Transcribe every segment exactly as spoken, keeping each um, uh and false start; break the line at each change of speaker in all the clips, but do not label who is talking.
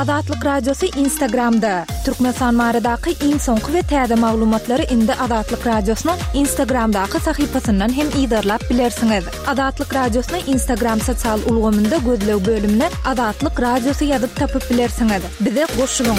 Azatlyk Radiosy Instagramda. Türkmenistan baradaky iň soňky we täze maglumatlary indi Azatlyk Radiosynyň Instagramdaky sahypasyndan hem yzarlap bilersiňiz. Azatlyk Radiosyny Instagram sosial ulgamynda gözleg bölümine Azatlyk Radiosy ýazyp tapyp bilersiňiz. Bize goşulyň.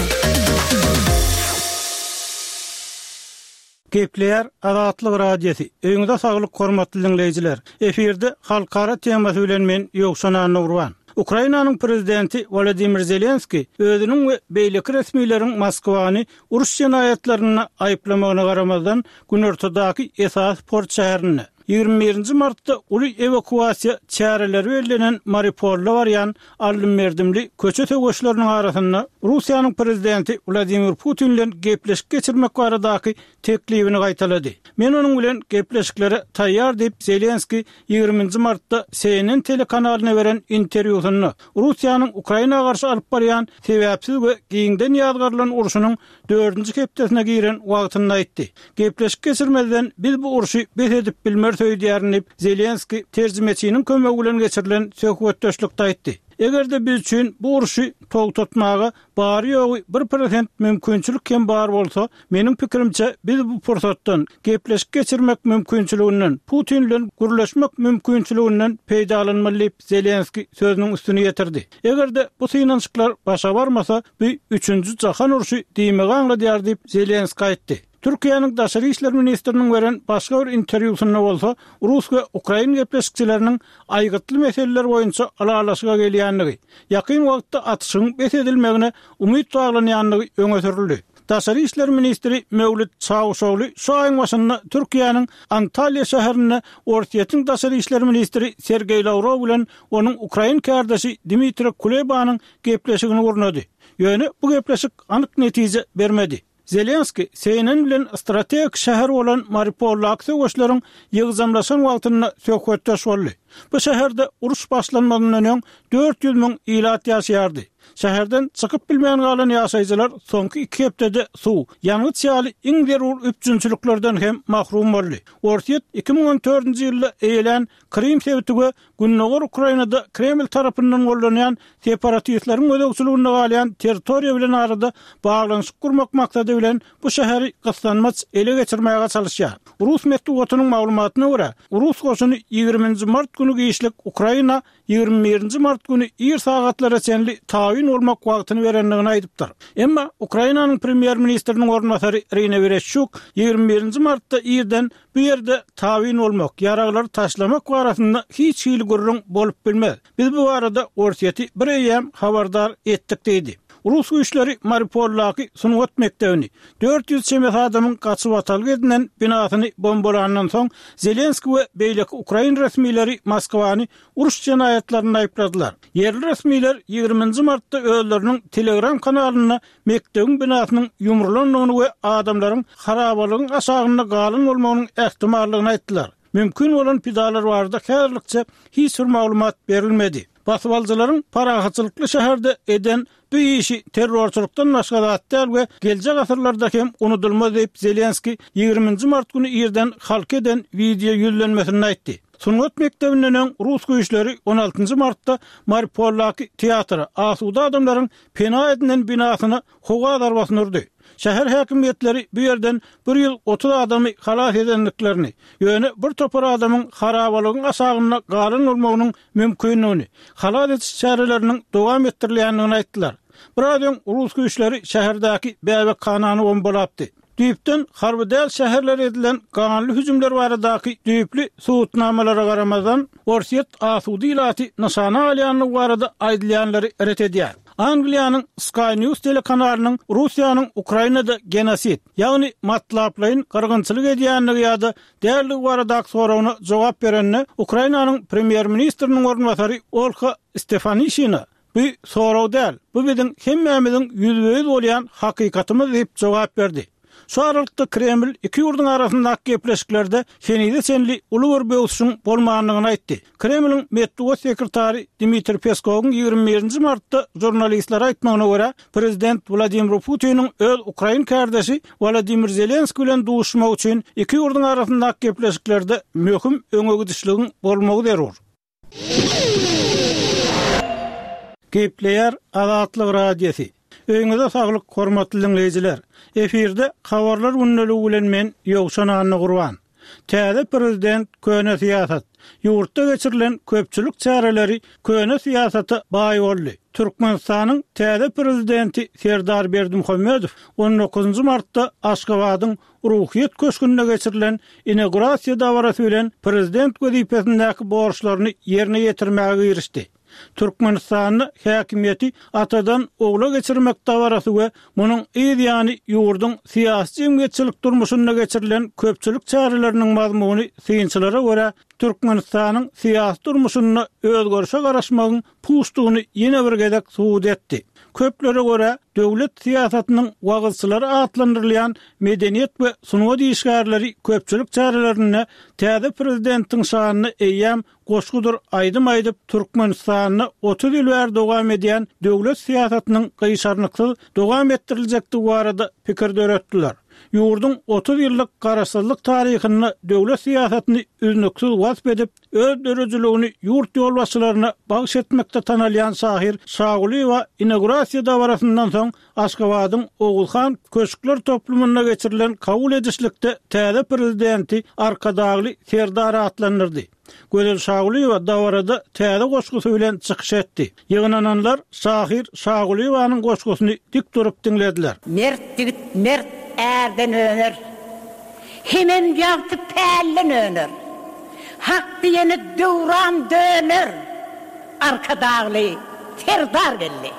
Gepleýär Azatlyk Radiosy. Öýüňize saglyk hormatly diňleýjiler. Efirde halkara temasy bilen men Ýowşan Annagurban. Ukrainanyň prezidenti Wladimir Zelenski özüniň we beýleki resmileriň Moskwany uruş jenaýatlarynda aýyplamagyna garamazdan, günortadaky esasy port şäherinde ýigrimi birinji martda uly ewakuasiýa çäreleri bellenen Mariupolda barýan aldym-berdimli köçe söweşleriniň arasynda Russiýanyň prezidenti Wladimir Putin bilen gepleşik geçirmek baradaky teklibini gaýtalady. Men onuň bilen gepleşiklere taýýar diýip, Zelenski ýigriminji martda C N N telekanalyna beren interwýusynda Russiýanyň Ukraina garşy alyp barýan sebäpsiz we giňden ýazgarylan urşunyň dördünji hepdesine giren wagtynda aýtdy. Gepleşik geçirmezden biz bu urşy bes edip bilmeris öýdýärin diýip, Zelenski terjimeçiniň kömegi bilen geçirilen söhbetdeşlikde aýtdy. Eger-de biz üçin bu urşy togtatmaga bary ýogy bir prosent mümkinçilik hem bar bolsa, meniň pikirimçe biz bu pursatdan gepleşik geçirmek mümkinçiliginden, Putin bilen gürleşmek mümkinçiliginden peýdalanmaly diýip, Zelenski sözüniň üstüni ýetirdi. Eger-de bu synanyşyklar başa barmasa, bu üçünji jahan urşy diýmegi aňladýar diýip, Zelenski aýtdy. Türkiýäniň Daşary işler ministriniň beren başga bir interwýusynda bolsa, Rus we Ukrain gepleşikçileriniň aýgytly meseleler boýunça ylalaşyga gelýändigi, ýakyn wagtda atyşyň bes edilmegine umyt baglanýandygy öňe sürüldi. Daşary işler ministri Mewlüt Çawuşogly şu aýyň başynda Türkiýäniň Antalýa şäherinde Orsýetiň Daşary işler ministri Sergeý Lawrow bilen onuň ukrain kärdeşi Dmitriý Kulebanyň gepleşigini gurnady. Ýöne bu gepleşik anyk netije bermedi. Zelenski C N N bilen strategik şäher bolan Mariupoldaky söweşleriň ýygjamlaşan wagtynda söhbetdeş boldy. Bu şäherde uruş başlanmazyndan öň dört ýüz müň ilat ýaşaýardy. Şäherden çykyp bilmeýän galan ýaşaýjylar soňky iki hepdede suw, ýangyç ýaly iň zerur üpjünçiliklerden hem mahrum boldy. Orsýet iki müň on dördünji ýylda eýelän Krym sebiti we Gündogar Ukrainada Kreml tarapyndan gollanýan separatistleriň gözegçiliginde galýan territoriýa bilen arada baglanyşyk gurmak maksady bilen bu şäheri gyssanmaç ele geçirmäge çalyşýar. Rus metbugatynyň maglumatyna görä, rus goşuny ýigriminji mart güni giçlik Ukraina ýigrimi birinji mart güni ir sagatlara çenli tabyn bolmak wagtyny berendigini aýdypdyr. Emma Ukrainanyň premýer-ministriniň orunbasary Irina Wereşçuk ýigrimi birinji martda irden bu ýerde tabyn bolmak, ýaraglary taşlamak barasynda hiç hili gürrüň bolup bilmez. Biz bu barada Orsýeti bir eýýäm habardar etdik diýdi. Rus güýçleri Mariupoldaky sungat mekdebini, dört ýüz çemesi adamyň gaçyp atalga edinen binasyny bombalandan soň Zelenski we beýleki ukrain resmileri Moskwany uruş jenaýatlarynda aýypladylar. Ýerli resmiler ýigriminji martda özleriniň Telegram kanalynda mekdebiň binasynyň ýumrulandygyny we adamlaryň harabalygyň aşagynda galan bolmagynyň ähtimallygyny aýtdylar. Mümkin bolan pidalar barada häzirlikçe hiç bir maglumat berilmedi. Basybalyjylaryň parahatçylykly şäherde eden bu işi terrorçylykdan başga zat däl we geljek asyrlarda hem unudylmaz diýip Zelenski ýigriminji mart güni irden halka eden wideo ýüzlenmesinde aýtdy. Sungat mekdebinden öň rus güýçleri on altynjy martda Mariupoldaky teatra, asuda adamlaryň pena edinen binasyna howa zarbasyny urdy. Şäher häkimiýetleri bu ýerden bir ýüz otuz adamy halas edendiklerini, ýöne bir topar adamyň harabalygyň aşagynda galan bolmagynyň mümkindigini, halas ediş çäreleriniň dowam etdirilýändigini aýtdylar. Biraz öň rus güýçleri şäherdäki bäbekhanany bombalapdy. Düýpden harby däl şäherlere edilen ganly hüjümler baradaky düýpli subutnamalara garamazdan, Orsýet asuda ilaty nyşana alýandygy barada aýdylýanlary ret edýär. Angliýanyň Sky News telekanalynyň Russiýanyň Ukrainada genosid, ýagny matlaplaýyn gyrgynçylyk edýändigi ýa-da däldigi baradaky soragyna jogap berende, Ukrainanyň premýer-ministriniň orunbasary Olha Stefanişina Bu sorag däl, bu biziň hemmämiziň ýüzbe-ýüz bolýan hakykatymyz diýip jogap berdi. Şu aralykda Kreml iki ýurduň arasyndaky gepleşiklerde henize çenli uly bir böwsüşiň bolmandygyny aýtdy. Kremliň metbugat sekretary Dmitriý Peskowyň ýigrimi birinji martda žurnalistlere aýtmagyna görä, prezident Wladimir Putiniň öz ukrain kärdeşi Wladimir Zelenskiý bilen duşuşmak üçin iki ýurduň arasyndaky gepleşiklerde möhüm öňegidişligiň bolmagy zerur. Gepleýär Azatlyk Radiosy. Öýüňize saglyk, hormatly diňleýjiler. Efirde habarlar gündeligi bilen men Ýowşan Annagurban. Täze prezident köne syýasat. Ýurtda geçirilen köpçülik çäreleri köne syýasata baý boldy. Türkmenistanyň täze prezidenti Serdar Berdimuhamedow on dokuzynjy martda Aşgabadyň Ruhyýet köşgünde geçirilen inaugurasiýa dabarasy bilen prezident wezipesindäki borçlaryny ýerine ýetirmäge girişdi. Türkmenistanda häkimiýeti atadan ogla geçirmek dabarasy we munuň yz ýany ýurduň syýasy-jemgyýetçilik durmuşynda geçirilen köpçülik çäreleriniň mazmuny synçylara görä Türkmenistanyň syýasy durmuşynda özgerişe garaşmagyň puçdugyny ýene bir gezek subut etdi. Köplere görä döwlet syýasatynyň wagyzçylary atlandyrylýan medeniýet we sungat işgärleri köpçülik çärelerinde täze prezidentiň şanyna eýýäm goşgudyr aýdym aýdyp Türkmenistanda otuz ýyl bäri dowam edýän döwlet syýasatynyň gyşarnyksyz dowam etdiriljekdigi barada pikir döretdiler. Ýurduň otuz ýyllyk garaşsyzlyk taryhynda döwlet syýasatyny üznüksiz wasp edip, öz döredijiligini ýurt ýolbaşçylaryna bagyş etmekde tanalýan şahyr Şagulyýewa inaugurasiýa dabarasyndan soň Aşgabadyň Oguzhan köşkler toplumynda geçirilen kabul edişlikde täze prezidenti Arkadagly Serdar atlandyrdy. Gözel Şagulyýewa dabarada täze goşgusy bilen çykyş etdi. Ýygnananlar şahyr Şagulyýewanyň goşgusyny dik durup diňlediler.
Mert ýigit mert ärden öner. Hemem ýagty pälden öner. Hak diýeni döwran döner. Arkadagly Serdar geldi.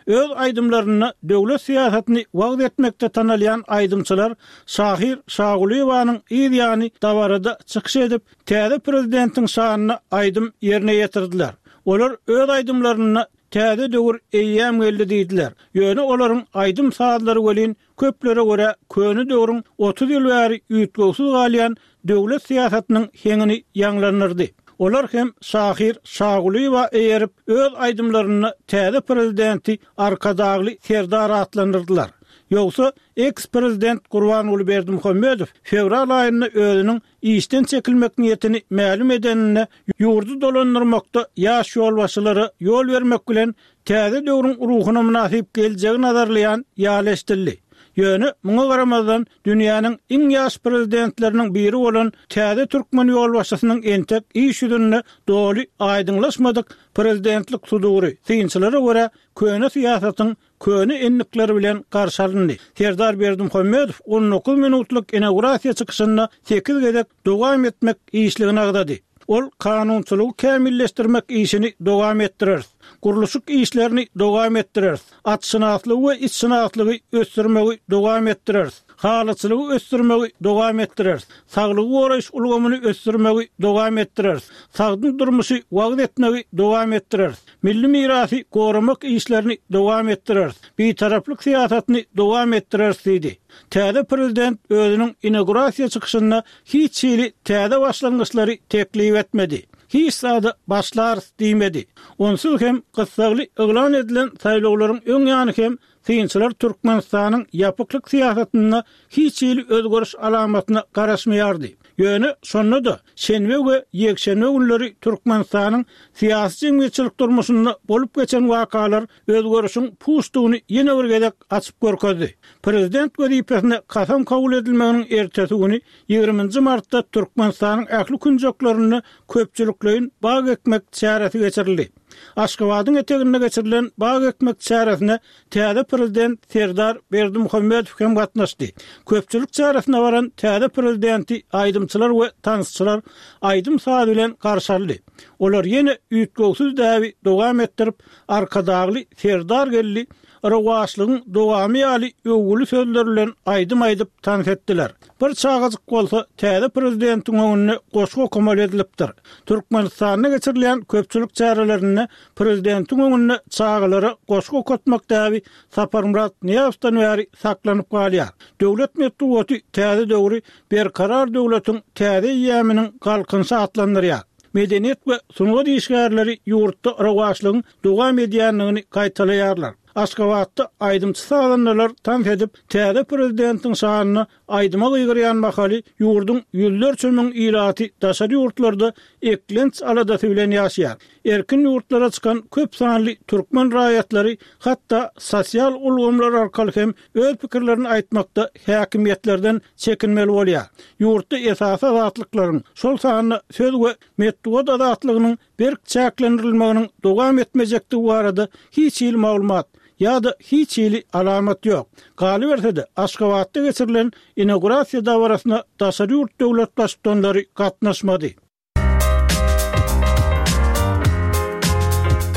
Öz aýdymlarynda döwlet syýasatyny wagyz etmekde tanalýan aýdymçylar şahyr Şagulyýewanyň yz ýany dabarada çykyş edip, täze prezidentiň şanyna aýdym ýerine ýetirdiler. Olar öz aýdymlarynda täze döwür eýýäm geldi diýdiler. Ýöne olaryň aýdym sazlary welin köplere görä köne döwrüň otuz ýyl bäri üýtgewsiz galýan döwlet syýasatynyň heňini ýaňlandyrdy. Olar hem şahyr Şagulyýewa eýerip öz aýdymlarynda täze prezidenti Arkadagly Serdar atlandyrdylar. Ýogsa ex-prezident Gurbanguly Berdimuhamedow fewral aýynda özüniň işden çekilmek niýetini mälim edeninde ýurdy dolandyrmakda ýaş ýolbaşçylara ýol bermek bilen täze döwrüň ruhuna mynasyp geljegi nazarlaýan ýaly eşdildi. Ýöne muňa garamazdan dünýäniň iň ýaş prezidentleriniň biri bolan täze türkmen ýolbaşçysynyň entek iş ýüzünde doly aýdyňlaşmadyk prezidentlik sudury synçylara görä köne syýasatyň köne enlikleri bilen garşy alyndy. Serdar Berdimuhamedow on dokuz minutlyk inaugurasiýa çykyşynda sekiz gezek dowam etmek işligini agzady. Ol kanunçylygy kämilleşdirmek işini dowam etdireris. Gurluşyk işlerini dowam etdireris. Atşynaslygy we itşynaslygy ösdürmegi dowam etdireris. Halyçylygy ösdürmegi dowam etdireris. Saglygy goraýyş ulgamyny ösdürmegi dowam etdireris. Sagdyn durmuşy wagyz etmegi dowam etdireris. Milli mirasy goramak işlerini dowam etdireris. Bitaraplyk syýasatyny dowam etdireris diýdi. Täze prezident özüniň inaugurasiýa çykyşynda hiç hili täze başlangyçlary teklip etmedi. Hiç zada başlarys diýmedi. Onsuz hem gyssagly yglan edilen saýlawlaryň öň ýany hem synçylar Türkmenistanyň ýapyklyk syýasatynda hiç hili özgeriş alamatyna garaşmaýardy. Ýöne şonda da şenbe we ýekşenbe günleri Türkmenistanyň syýasy jemgyýetçilik durmuşynda bolup geçen wakalar özgerişiň puçdugyny ýene bir gezek açyp görkezdi. Prezident wezipesine kasam kabul edilmeginiň ertesi güni ýigriminji martda Türkmenistanyň ähli künjeklerinde köpçülikleýin bag ekmek çäresi geçirildi. Aşgabadyň eteginde geçirilen bag ekmek çäresine täze prezident Serdar Berdimuhamedow hem gatnaşdy. Köpçülik çäresine baran täze prezidenti aýdymçylar we tansçylar aýdym saz bilen garşy aldy. Olar ýene üýtgewsiz däbi dowam etdirip, Arkadagly Serdar geldi, rowaçlygyň dowamy ýaly öwgüli sözler bilen aýdym aýdyp tans etdiler. Bir çagajyk bolsa täze prezidentiň öňünde goşgy okamaly edilipdir. Türkmenistanda geçirilen köpçülik çärelerinde prezidentiň öňünde çagalara goşgy okatmak däbi Saparmyrat Nyýazowdan bäri saklanyp galýar. Döwlet metbugaty täze döwri Berkarar döwletiň täze eýýamynyň galkynyşy atlandyrýar. Medeniýet we sungat işgärleri ýurtda rowaçlygyň dowam edýändigini gaýtalaýarlar. Aşgabatda aýdymçy sazandalar tans edip, täze prezidentiň şanyna aýdyma gygyrýan mahaly ýurduň ýüzlerçe müň ilaty daşary ýurtlarda eklenç aladasy bilen ýaşaýar. Erkin ýurtlara çykan köp sanly türkmen raýatlary hatda sosial ulgamlar arkaly hem öz pikirlerini aýtmakda häkimiýetlerden çekinmeli bolýar. Ýurtda esasy azatlyklaryň, şol sanda söz we metbugat azatlygynyň berk çäklendirilmeginiň dowam etmejekdigi barada hiç hili maglumat ýa-da hiç hili alamat ýok. Galyberse-de, Aşgabatda geçirilen inaugurasiýa dabarasyna daşary ýurt döwlet baştutanlary gatnaşmady.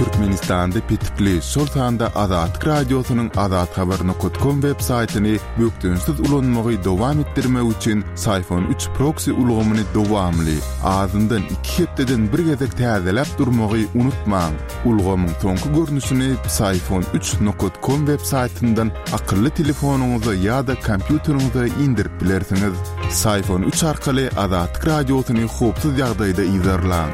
Türkmenistanda petikli, şol sanda Azatlyk Radiosynyň azathabar nokat kom web saýtyny bökdençsiz ulanmagy dowam etdirmek üçin Syfon üç proksi ulgamyny dowamly, azyndan iki hepdeden bir gezek täzeläp durmagy unutmaň. Ulgamyň soňky görnüşini Syfon üç nokat kom web saýtyndan akylly telefonyňyza ýa-da kompýuteriňize indirip bilersiňiz. Syfon üç arkaly Azatlyk Radiosyny howpsuz ýagdaýda yzarlaň.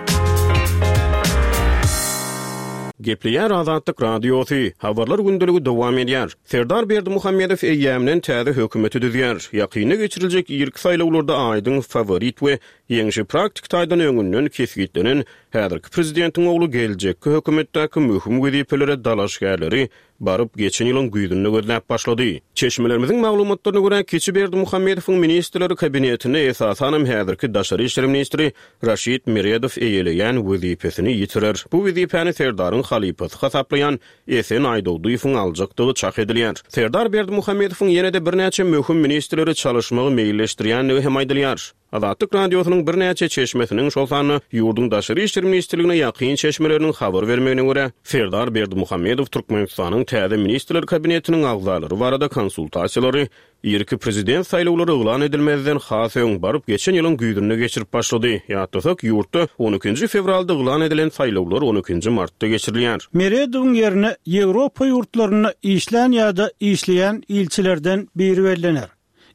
Gepleýär Azatlyk Radiosy, Habarlar gündeligi dowam edýär. Serdar Berdimuhamedow eýýämden täze hökümeti düzýär. Ýakynda geçiriljek irki saýlawlarda aýdyň faworit we ýeňşi praktik taýdan öňünden kesgitlenen häzirki prezidentiň ogly geljekki hökümetdäki möhüm wezipelere dalaşgärleri baryp geçen ýylyň güýzünde gözläp başlady. Çeşmelerimiziň maglumatlaryna görä, Kiçi Berdimuhamedowyň ministrleri kabinetinde esasanam häzirki daşary işler ministri Raşid Meredow eýeleýän wezipesini ýitirer. Bu wezipäni Serdaryň halypasy hasaplaýan Esen Aýdogdyýewiň aljakdygy çak edilýär. Serdar Berdimuhamedowyň ýene-de birnäçe möhüm ministrleri çalyşmagy meýilleşdirýändigi hem aýdylýar. Azatlyk Radiosynyň birnäçe çeşmesiniň, şol sanda ýurduň daşary işler ministrligine ýakyn çeşmeleriniň habar bermegine görä, Serdar Berdimuhamedow Türkmenistanyň täze ministrler kabinetiniň agzalary barada konsultasiýalary irki prezident saýlawlary yglan edilmezden has öň baryp geçen ýylyň güýzünde geçirip başlady. Ýatlasak, ýurtda on ikinji fewralda yglan edilen saýlawlar on ikinji martda geçirilýär.
Meredowyň ýerine Ýewropa ýurtlarynda işlän ýa-da işleýän ilçilerden biri bellener.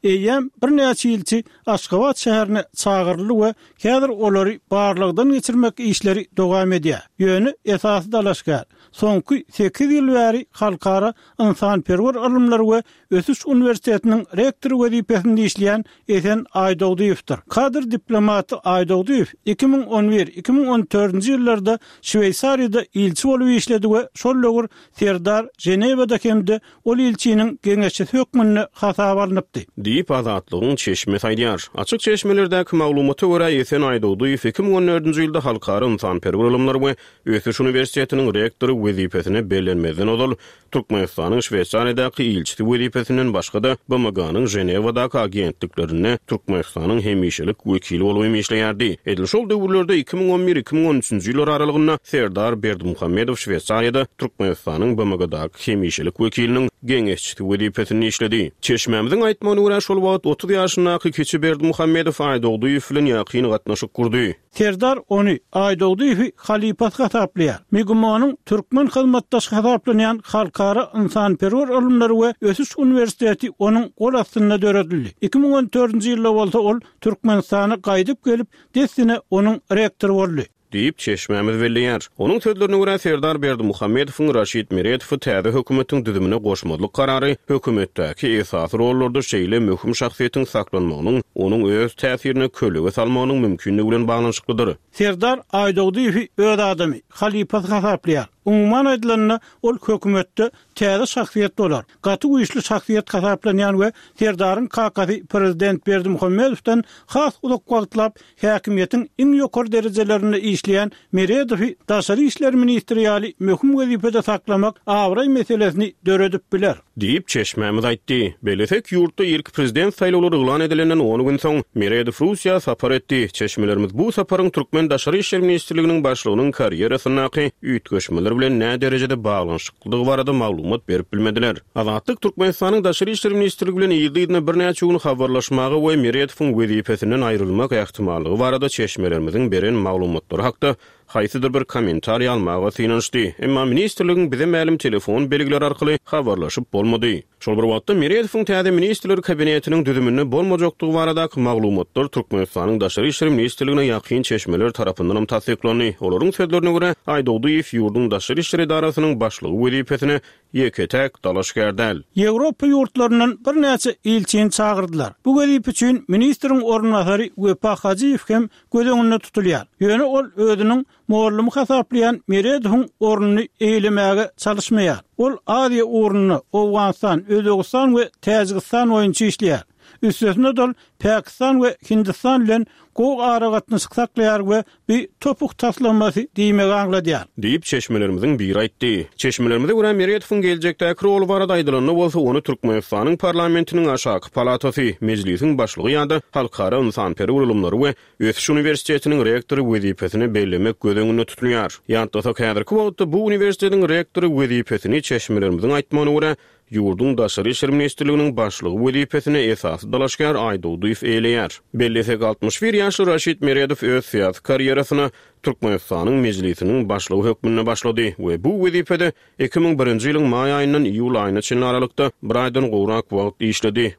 Eýýäm birnäçe ilçi Aşgabat şäherine çagyryldy we häzir olary barlagdan geçirmek işleri dowam edýär. Ýöne esasy dalaşgär soňky sekiz ýyl bäri Halkara ynsanperwer ylymlar we ösüş uniwersitetiniň rektory wezipesinde işleýän Esen Aýdogdyýewdir. Kadr diplomaty Aýdogdyýew iki müň on bir, iki müň on dördünji ýyllarda Şweýsariýada ilçi bolup işledi we şol döwür Serdar Ženewada hem-de ol ilçiniň geňeşçisi hökmünde hasaba alnypdy.
Diýip Azatlygyň çeşmesi aýdýar. Açyk çeşmelerdäki maglumata görä Esen Aýdogdyýew iki müň on dördünji ýylda Halkara ynsanperwer ylymlar we ösüş uniwersitetiniň rektory wezipesine bellenmezden ozal Türkmenistanyň Şweýsariýadaky ilçisi wezipesinden başga-da B M G-nyň Ženewadaky agentliklerinde Türkmenistanyň hemişelik wekili bolup hem işleýärdi. Edil şol döwürlerde iki müň on bir, iki müň on üçünji ýyllar aralygynda Serdar Berdimuhamedow Şweýsariýada Türkmenistanyň B M G-daky hemişelik wekiliniň geňeşçisi wezipesinde işledi. Çeşmämiziň aýtmagyna görä şol wagt otuz ýaşyndaky Kiçi Berdimuhamedow Aýdogdyýew bilen ýakyn gatnaşyk gurdy.
Serdar ony Aýdogdyýewi halypasy hasaplaýar. Migumonyň türkmen hyzmatdaşy hasaplanýan Halkara ynsanperwer ylymlary we ösüş uniwersiteti onuň gol astynda döredildi. Iki müň on dördünji ýylda bolsa ol Türkmenistana gaýdyp gelip, dessine onuň rektory boldy.
Diýip çeşmämiz belleýär. Onuň sözlerine görä Serdar Berdimuhamedowyň Raşid Meredowy täze hökümetiň düzümine goşmazlyk karary hökümetdäki esasy rollarda şeýle möhüm şahsyýetiň saklanmagynyň onuň öz täsirine kölege salmagynyň mümkinligi bilen baglanyşyklydyr.
Serdar Aýdogdyýewi öz adamy halypasy hasaplaýar. Umuman aýdylanda ol hökümetde täze şahsyýet bolar. Gaty güýçli şahsyýet hasaplanýan we Serdaryň kakasy prezident Berdimuhamedowdan has uzak wagtlap häkimiýetiň iň ýokary derejelerinde işleýän Meredowy daşary işler ministri ýaly möhüm wezipede saklamak abraý meselesini döredip biler.
Diýip çeşmämiz aýtdy. Belesek ýurtda irki prezident saýlawlary yglan edilenden on gün soň Meredow Russiýa sapar etdi. Çeşmelerimiz bu saparyň Türkmen Daşary işler ministrliginiň başlygynyň karýerasyndaky üýtgeşmeler bilen nä derejede baglanyşyklydygy barada maglumat berip bilmediler. Azatlyk Türkmenistanyň Daşary işler ministrligi bilen ýygy-ýygydan birnäçe gün habarlaşmaga we Meredowyň wezipesinden aýrylmak ähtimallygy barada çeşmelerimiziň beren maglumatlary hakda haýsydyr bir kommentariý almaga synanyşdy. Emma ministrligiň bize mälim telefon belgileri arkaly habarlaşyp bolmady. Şol bir wagtda Meredowyň täze ministrler kabinetiniň düzüminde bolmajakdygy baradaky maglumatlar Türkmenistanyň Daşary işler ministrligine ýakyn çeşmeler tarapyndan hem tassyklandy. Olaryň sözlerine görä, Aýdogdyýew ýurduň Daşary işler edarasynyň başlygy wezipesine ýeke-täk dalaşgär däl.
Ýewropa ýurtlaryndan birnäçe ilçini çagyrdylar. Bu wezipe üçin ministriň orunbasary Wepa Hajyýew hem göz öňünde tutulýar. Ýöne ol özüniň mugallym hasaplaýan Meredowyň ornuny eýlemäge çalışmaýar. Ol Aziýa ugrunda Owganystan, Özbegistan we Täjigistan boýunça işleýär. Üstesine dol Pakistan we Hindistan bilen gowy aragatnaşyk saklaýar we bir topuk taslamasy diýmegi aňladýar.
Diýip çeşmelerimiziň biri aýtdy. Çeşmelerimize görä Meredowyň geljekdäki roly barada aýdylanda bolsa ony Türkmenistanyň parlamentiniň aşaky palatasy, mejlisiň başlygy ýa-da Halkara ynsanperwer ylymlary we Ösüş uniwersitetiniň rektory wezipesini bellemek göz öňünde tutulýar. Ýatlasak häzirki wagtda bu uniwersitetiň rektory wezipesini çeşmelerimiziň aýtmagyna görä ýurduň Daşary işler ministrliginiň başlygy wezipesine esasy dalaşgär Aýdogdyýew eýleýär. Bellesek altmyş bir ýaşly Raşid Meredow öz syýasy karýerasyna Türkmenistanyň mejlisiniň başlygy hökmünde başlady we bu wezipede iki müň birinji ýylyň maý aýyndan iýul aýyna çenli aralykda bir aýdan gowrak wagt işledi.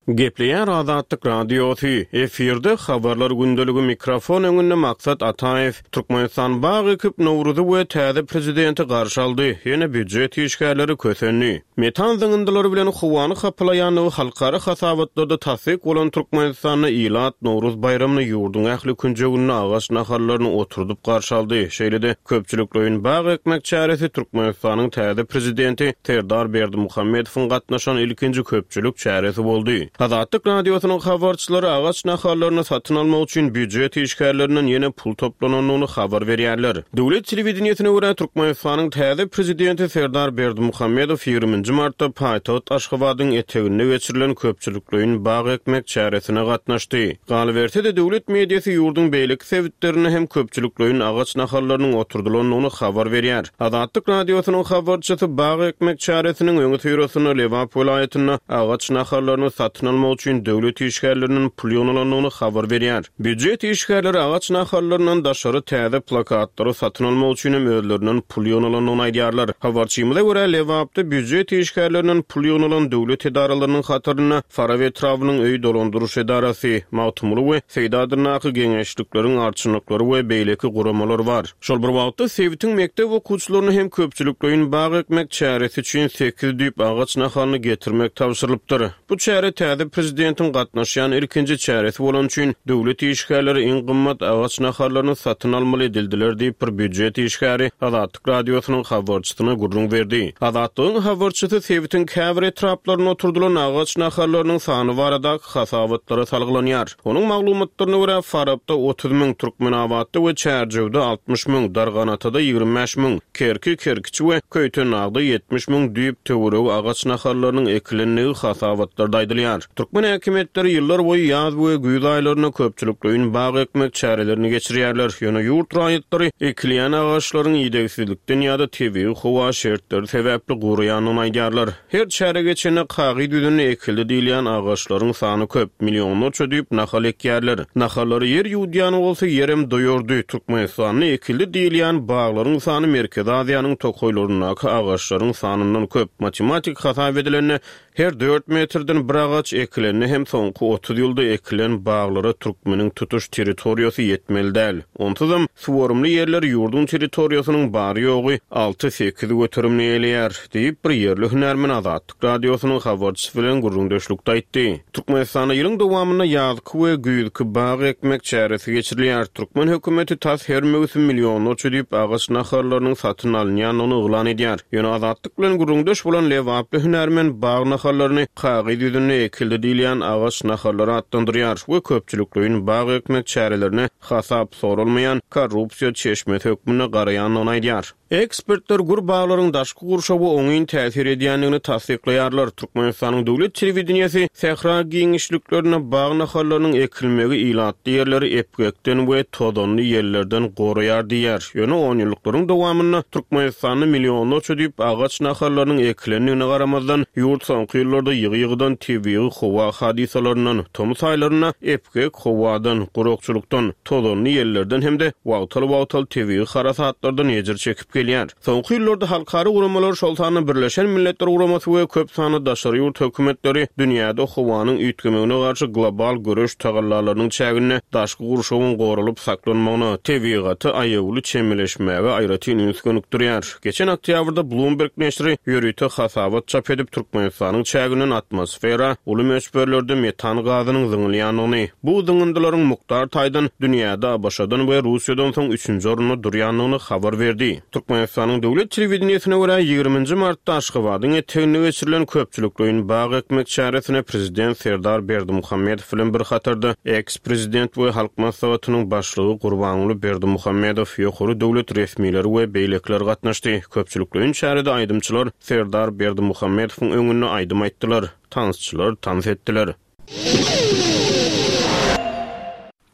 Gepleýär Azatlyk Radiosy. Efirde habarlar gündeligi mikrofon öňünde Maksat Ataýew. Türkmenistan bag ekip Nowruzy we täze prezidenti garşy aldy. Ýene býujet işgärleri kösendi. Metan zyňyndylary bilen howany hapalaýanlygy halkara hasabatlarda tassyk bolan Türkmenistanda ilat Nowruz baýramyny ýurduň ähli künjeginde agaç nahallaryny oturdyp garşy aldy. Şeýle-de köpçülikleýin bag ekmek çäresi Türkmenistanyň täze prezidenti Serdar Berdimuhamedowyň gatnaşan ilkinji köpçülik çäresi boldy. Azatlyk Radiosynyň habarçylary agaç nahallaryny satyn almak üçin býujet işgärlerinden ýene pul toplanandygyny habar berýärler. Döwlet telewideniýesine görä Türkmenistanyň täze prezidenti Serdar Berdimuhamedow ýigriminji martda paýtagt Aşgabadyň eteginde geçirilen köpçülikleýin bag ekmek çäresine gatnaşdy. Galyberse-de döwlet mediasy ýurduň beýleki sebitlerinde hem köpçülikleýin agaç nahallarynyň oturdylandygyny habar berýär. Azatlyk Radiosynyň habarçysy bag ekmek çäresiniň öňi syrasynda Lebap welaýatynda agaç nahallaryny satyn almak üçin döwlet işgärleriniň pul ýygnalandygyny habar berýär. Býujet işgärleri agaç nahallaryndan daşary täze plakatlary satyn almak üçin hem özlerinden pul ýygnalandygyny aýdýarlar. Habarçymyza görä Lebapda býujet işgärlerinden pul ýygnalan döwlet edaralarynyň hatarynda Farabi etrabynyň öý dolandyryş edarasy, Magtymguly we Seýdi adyndaky geňeşlikleriň arçynlyklary we beýleki guramalar bar. Şol bir wagtda sebitiň mekdep okuwçylaryny hem köpçülikleýin bag ekmek çäresi üçin sekiz düýp agaç nahalyny getirmek tabşyrylypdyr. Bu çäre täze prezidentiň gatnaşýan ilkinji çäresi bolan üçin döwlet işgärleri iň gymmat agaç nahallaryny satyn almaly edildiler diýip bir býujet işgäri Azatlyk Radiosynyň habarçysyna gürrüň berdi. Azatlygyň habarçysy sebitiň käbir etraplarynda oturdylan agaç nahallarynyň sany baradaky hasabatlara salgylanýar. Onuň maglumatlaryna görä Farapda otuz müň, Türkmenabatda we Çärjewde altmyş müň, Darganatada ýigrimi bäş müň, Kerki, Kerkiçi we Köýtenagda ýetmiş müň düýp töweregi agaç nahallarynyň ekilendigi hasabatlarda aýdylýar. Türkmen häkimiýetleri ýyllar boýy ýaz we güýz aýlarynda köpçülikleýin bag ekmek çärelerini geçirýärler. Ýöne ýurt raýatlary ekilýän agaçlaryň idegsizlikden ýa-da tebigy howa şertleri sebäpli guraýandygyny aýdýarlar. Her çäre geçende kagyz ýüzünde ekildi diýilýän agaçlaryň sany köp, millionlarça düýp nahal ekýärler. Nahallary ýer ýuwdýan bolsa ýerem doýurdy. Türkmenistanda ekildi diýilýän baglaryň sany Merkezi Aziýanyň tokaýlaryndaky agaçlaryň sanyndan köp. Matematik hasap edilende her dört metrden bir agaç ekilende hem soňky otuz ýylda ekilen baglara Türkmeniň tutuş territoriýasy ýetmeli däl. Onsuzam suwarymly ýerler ýurduň territoriýasynyň bary ýogy alty sekiz göterimini eýleýär diýip bir ýerli hünärmen Azatlyk Radiosynyň habarçysy bilen gürrüňdeşlikde aýtdy. Türkmenistanda ýylyň dowamynda ýazky we güýzki bag ekmek çäresi geçirilýär. Türkmen hökümeti tas her möwsüm millionlarça düýp agaç nahallarynyň satyn alynýandygyny yglan edýär. Ýöne Azatlyk bilen gürrüňdeş bolan Lebaply hünärmen bag nahallaryny kagyz ýüzünde ekildi diýilýän agaç nahallary atlandyrýar we köpçülikleýin bag ekmek çärelerine hasap sorulmaýan korrupsiýa çeşmesi hökmünde garaýandygyny aýdýar. Ekspertler gür baglaryň daşky gurşawa oňyn täsir edýändigini tassyklaýarlar. Türkmenistanyň döwlet telewideniýesi sähra giňişliklerinde bag nahallarynyň ekilmegi ilatly ýerleri epgekden we tozanly ýerlerden goraýar diýýär. Ýöne on ýyllyklaryň dowamynda Türkmenistanda millionlarça düýp agaç nahallarynyň ekilendigine garamazdan, ýurt soňky Soňky ýyllarda ýygy-ýygydan tebigy howa hadysalaryndan, tomus aýlarynda epgek howadan, gurakçylykdan, tozanly ýellerden hem-de wagtal-wagtal tebigy harasatlardan ejir çekip gelýär. Soňky ýyllarda halkara guramalar, şol sanda Birleşen Milletler Guramasy we köp sanly daşary ýurt hökümetleri dünýäde howanyň üýtgemegine garşy global göreş tagallalarynyň çäginde daşky gurşawyň goralyp saklanmagyna, tebigata aýawly çemeleşmäge aýratyn üns gönükdirýär. Geçen oktýabrda Bloomberg neşiri ýörite hasabat çap edip, Türkmenistanyň çäginden atmosfera uly möçberlerde metan gazynyň zyňylýandygyny, bu zyňyndylaryň mukdar taýdan dünýäde ABŞ-dan we Russiýadan soň üçünji orunda durýandygyny habar berdi. Türkmenistanyň döwlet telewideniýesine görä ýigriminji martda Aşgabadyň eteginde geçirilen köpçülikleýin bag ekmek çäresine prezident Serdar Berdimuhamedow bilen bir hatarda eks-prezident we Halk Maslahatynyň başlygy Gurbanguly Berdimuhamedow, ýokary döwlet resmileri we beýlekiler gatnaşdy. Köpçülikleýin çärede aýdymçylar Serdar Berdimuhamedowyň öňünde aýdym aýtdylar, tansçylar tans etdiler.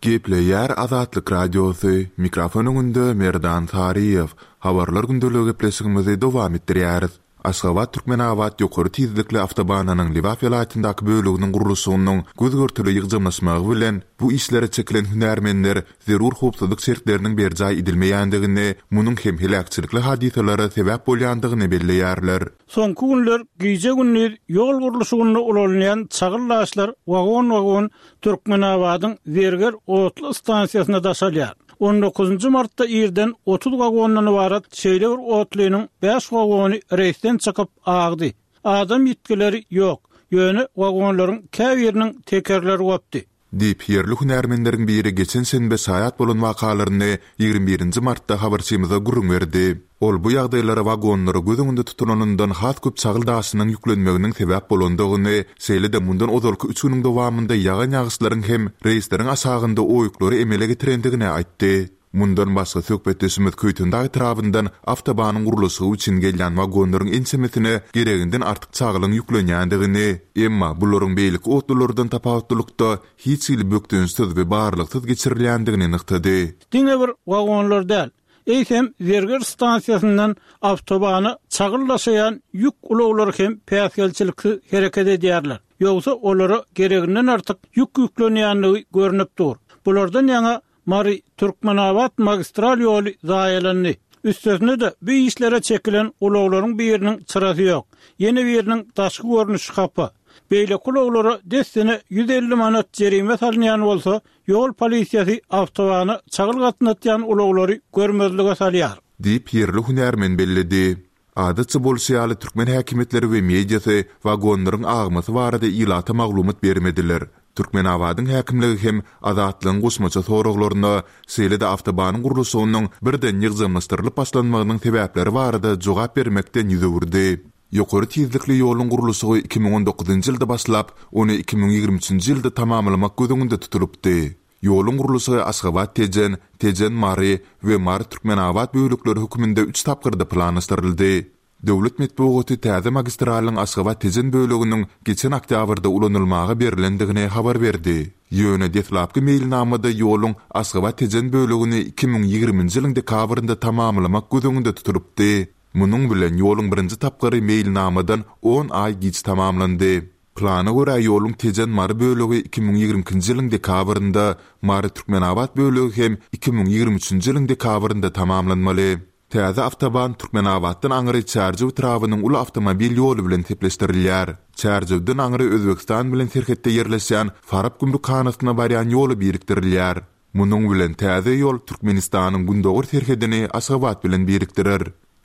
Gepleýär Azatlyk Radiosy, mikrofon öňünde Merdan Saryýew. Habarlar gündeligi gepleşigimizi dowam etdirýäris. Aşgabat-Türkmenabat ýokary tizlikli awtobanynyň Lebap welaýatyndaky böleginiň gurluşygynyň göz-görtele ýygjamlaşmagy bilen bu işlere çekilen hünärmenler zerur howpsuzlyk şertleriniň berjaý edilmeýändigini, munuň hem heläkçilikli hadysalara sebäp bolýandygyny belleýärler.
Soňky günler gije-gündiz ýol gurluşygynda ulanylýan çagyl daşlar wagon-wagon Türkmenabadyň Zerger otly stansiýasyna daşalýar. On dokuzynjy martda irden otuz wagondan ybarat şeýle bir otlynyň bäş wagony reýsden çykyp agdy. Adam ýitgileri ýok, ýöne wagonlaryň käbiriniň tekerleri gopdy.
Diýip, ýerli hünärmenleriň biri geçen şenbe şaýat bolan wakalaryny ýigrimi birinji martda habarçymyza gürrüň berdi. Ol bu ýagdaýlara wagonlara göz öňünde tutulanyndan has köp çagyl daşynyň ýüklenmeginiň sebäp bolandygyny, şeýle-de mundan ozalky üç günüň dowamynda ýagan ýagyşlaryň hem reýsleriň aşagynda oýuklary emele getirendigini aýtdy. Mundan başga söhbetdeşimiz Köýtendag etrabyndan awtobanyň gurluşygy üçin gelýän wagonlaryň ençemesine gereginden artyk çagylyň ýüklenýändigini, emma bularyň beýleki otlulardan tapawutlylykda hiç hili bökdençsiz we barlyksyz geçirilýändigini nygtady.
Diňe bir wagonlar däl, eýsem Zerger stansiýasyndan awtobana çagyl daşaýan ýük ulaglary hem päsgelçiliksiz hereket edýärler. Ýogsa olara gereginden artyk ýük ýüklenýändigi görnüp dur. Bulardan ýaňa Mary Türkmenabat magistral ýoly zaýalandy. Üstesine-de bu işlere çekilen ulaglaryň biriniň çyrasy ýok. Ýene biriniň daşky görnüşi hapa. Beýleki ulaglara dessine ýüz elli manat jerime salynýan bolsa, ýol polisiýasy awtobana çagyl gatnatýan ulaglary görmezlige salýar.
Diýip, ýerli hünärmen belledi. Adatça bolşy ýaly türkmen häkimiýetleri we mediasy wagonlaryň agmasy barada ilata maglumat bermediler. Türkmenabadyň häkimligi hem Azatlygyň goşmaça soraglaryna, şeýle-de awtobanyň gurluşygynyň birden ýygjamlaşdyrylyp başlanmagynyň sebäpleri barada jogap bermekden ýüz öwürdi. Ýokary tizlikli ýoluň gurluşygy iki müň on dokuzynjy ýylda başlap, ony iki müň ýigrimi üçünji ýylda tamamlamak göz öňünde tutulypdy. Ýoluň gurluşygy Aşgabat-Tejen, Tejen-Mary we Mary-Türkmenabat bölekleri hökmünde üç tapgyrda planlaşdyryldy. Döwlet metbugaty täze magistralyň Aşgabat-Tejen böleginiň geçen oktýabrda ulanylmaga berlendigini habar berdi. Ýöne deslapky meýilnamada ýoluň Aşgabat-Tejen bölegini iki müň ýigriminji ýylyň dekabrynda tamamlamak göz öňünde tutulypdy. Munuň bilen ýoluň birinji tapgyry meýilnamadan on aý giç tamamlandy. Plana görä ýoluň Tejen-Mary bölegi iki müň ýigrimi ikinji ýylyň dekabrynda, Mary-Türkmenabat bölegi hem iki müň ýigrimi üçünji ýylyň dekabrynda tamamlanmaly. Täze awtoban Türkmenabatdan aňry Çärjew etrabynyň uly awtomobil ýoly bilen sepleşdirilýär. Çärjewden aňry Özbegistan bilen serhetde ýerleşýän Farap gümrükhanasyna barýan ýoly birikdirilýär. Munuň bilen täze ýol Türkmenistanyň gündogar serhedini Aşgabat bilen birikdirer.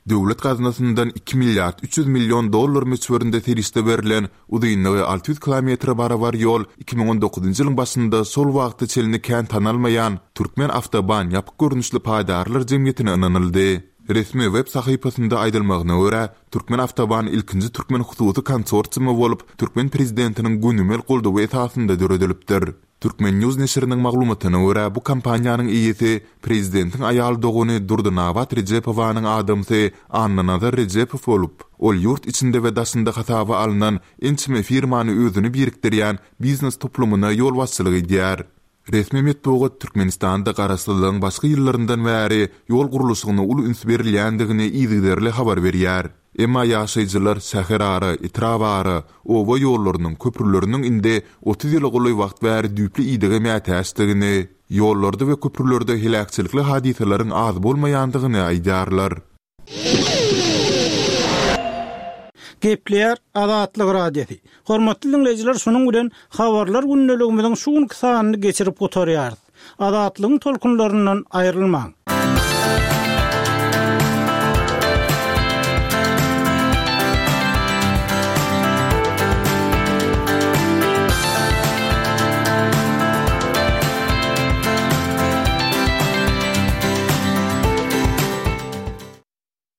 Döwlet gaznasyndan iki milliard üç ýüz million dollar möçberinde serişde berlen uzynlygy alty ýüz kilometre barabar ýol iki müň on dokuzynjy ýylyň başynda şol wagta çenli kän tanalmaýan Türkmen awtoban ýapyk görnüşli paýdarlar jemgyýetine ynanyldy. Resmi web sahypasynda aýdylmagyna görä, Türkmen awtoban ilkinji türkmen hususy konsorsiumy bolup, türkmen prezidentiniň gönümel goldawy esasynda döredilipdir. Türkmen News neşiriniň maglumatyna görä, bu kompaniýanyň eýesi prezidentiň aýal dogany Durdynabat Rejepowanyň adamsy Annanazar Rejepow bolup, ol ýurt içinde we daşynda hasaba alnan ençeme firmany özüne birikdirýän biznes toplumyna ýolbaşçylyk edýär. Resmi metbugat Türkmenistanda garaşsyzlygyň başky ýyllaryndan bäri ýol gurluşygyna uly üns berilýändigini yzygiderli habar berýär. Emma ýaşaýjylar şäherara, etrabara, oba ýollarynyň, köprüleriniň indi otuz ýyla golaý wagt bäri düýpli idege mätäçdigini, ýollarda we köprülerde heläkçilikli hadysalaryň az bolmaýandygyny aýdýarlar.
Gepleýär Azatlyk Radiosy. Hormatly diňleýjiler, şunuň bilen Habarlar gündeligimiziň şu günki sanyny geçirip gutarýarys. Azatlygyň tolkunlaryndan aýrylmaň.